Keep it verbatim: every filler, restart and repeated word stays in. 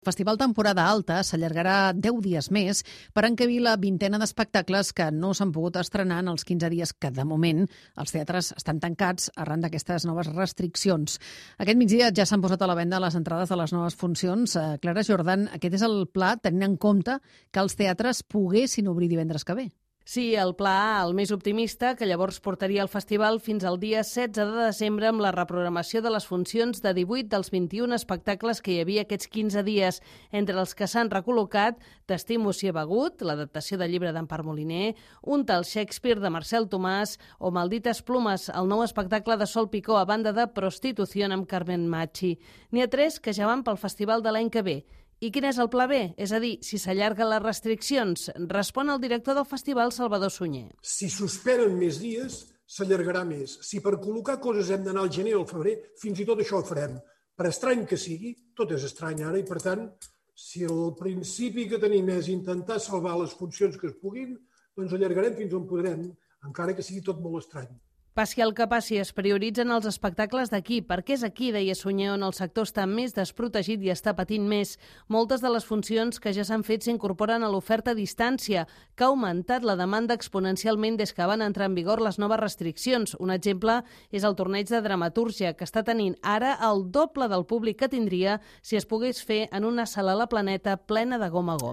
El Festival Temporada Alta s'allargarà deu dies més per encabir la vintena d'espectacles que no s'han pogut estrenar en els quinze dies que, de moment, els teatres estan tancats arran d'aquestes noves restriccions. Aquest migdia ja s'han posat a la venda les entrades de les noves funcions. Clara Jordan, aquest és el pla tenint en compte que els teatres poguessin obrir divendres que ve. Sí, el pla A, el més optimista, que llavors portaria el festival fins al dia setze de desembre amb la reprogramació de les funcions de divuit dels vint-i-un espectacles que hi havia aquests quinze dies, entre els que s'han recol·locat T'estimo si he begut, l'adaptació del llibre d'Empar Moliner, Un tal Shakespeare de Marcel Tomàs o Maldites plumes, el nou espectacle de Sol Picó a banda de Prostitución amb Carmen Machi. N'hi ha tres que ja van pel festival de l'any que ve. I quin és el pla B? És a dir, si s'allarguen les restriccions, respon el director del festival, Salvador Sunyer. Si suspenen més dies, s'allargarà més. Si per col·locar coses hem d'anar al gener o al febrer, fins i tot això ho farem. Per estrany que sigui, tot és estrany ara, i per tant, si el principi que tenim és intentar salvar les funcions que es puguin, doncs allargarem fins on podrem, encara que sigui tot molt estrany. Passi el que passi, es prioritzen els espectacles d'aquí, perquè és aquí, deia Sunyer, on el sector està més desprotegit i està patint més. Moltes de les funcions que ja s'han fet s'incorporen a l'oferta a distància, que ha augmentat la demanda exponencialment des que van entrar en vigor les noves restriccions. Un exemple és el torneig de dramatúrgia, que està tenint ara el doble del públic que tindria si es pogués fer en una sala a la Planeta plena de gom a gom.